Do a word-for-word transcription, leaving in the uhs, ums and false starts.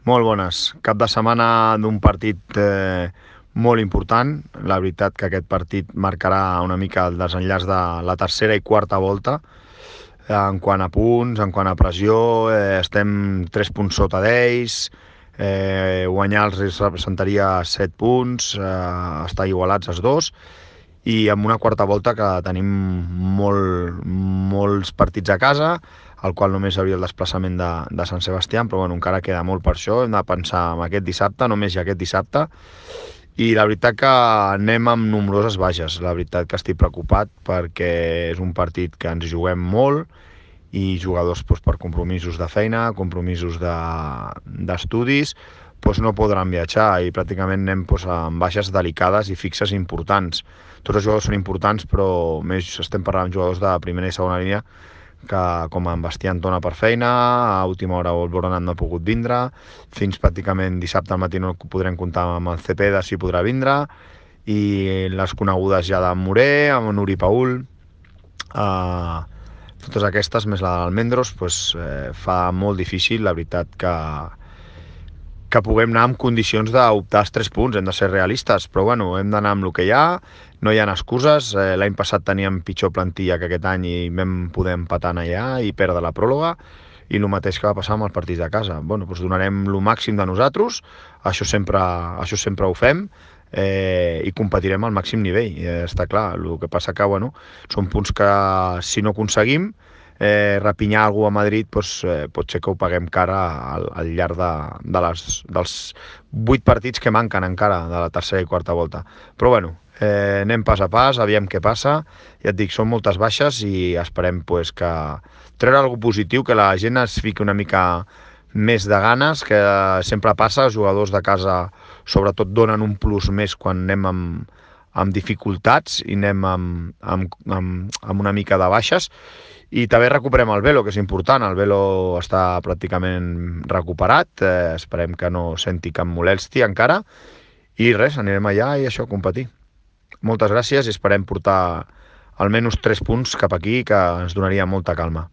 Molt bones. Cap de setmana d'un partit eh, molt important. La veritat que aquest partit marcarà una mica el desenllaç de la tercera i quarta volta. En quant a punts, en quant a pressió, eh, estem tres punts sota d'ells, eh, guanyar els representaria set punts, eh, estar igualats els dos, i amb una quarta volta que tenim molt, molts partits a casa, al qual només hi hauria el desplaçament de, de Sant Sebastià, però bueno, encara queda molt per això, hem de pensar en aquest dissabte, només hi ha aquest dissabte, i la veritat que anem amb nombroses baixes, la veritat que estic preocupat perquè és un partit que ens juguem molt i jugadors doncs, per compromisos de feina, compromisos d'estudis, de, doncs no podran viatjar i pràcticament anem doncs, amb baixes delicades i fixes importants. Tots els jugadors són importants, però més estem parlant amb jugadors de primera i segona línia que com en Bastià Antona per feina, a última hora el Boronat no ha pogut vindre, fins pràcticament dissabte al matí no podrem comptar amb el Cepeda si podrà vindre, i les conegudes ja d'en Moré, amb Nuri Paul, eh, totes aquestes, més la d'Almendros, pues, eh, fa molt difícil, la veritat, que, que puguem anar en condicions d'optar als tres punts, hem de ser realistes, però bueno, hem d'anar amb el que hi ha, no hi ha excuses, eh, l'any passat teníem pitjor plantilla que aquest any i vam poder empatar allà i perdre la pròrroga, i el mateix que va passar amb els partits de casa. Bueno, doncs donarem el màxim de nosaltres, això sempre, això sempre ho fem, eh, i competirem al màxim nivell, eh, està clar. El que passa que, bueno, són punts que si no aconseguim eh, rapinyar algú a Madrid, doncs, eh, pot ser que ho paguem cara al, al llarg de, de les, dels vuit partits que manquen encara de la tercera i quarta volta. Però bueno, eh, anem pas a pas, aviam què passa. Ja et dic, són moltes baixes i esperem pues, que treure alguna positiu, que la gent es fiqui una mica més de ganes, que sempre passa, els jugadors de casa sobretot donen un plus més quan anem amb, amb dificultats i anem amb, amb, amb, amb una mica de baixes, i també recuperem el Velo, que és important. El Velo està pràcticament recuperat, eh, esperem que no senti cap molèstia encara, i res, anirem allà i això, a competir. Moltes gràcies i esperem portar almenys tres punts cap aquí, que ens donaria molta calma.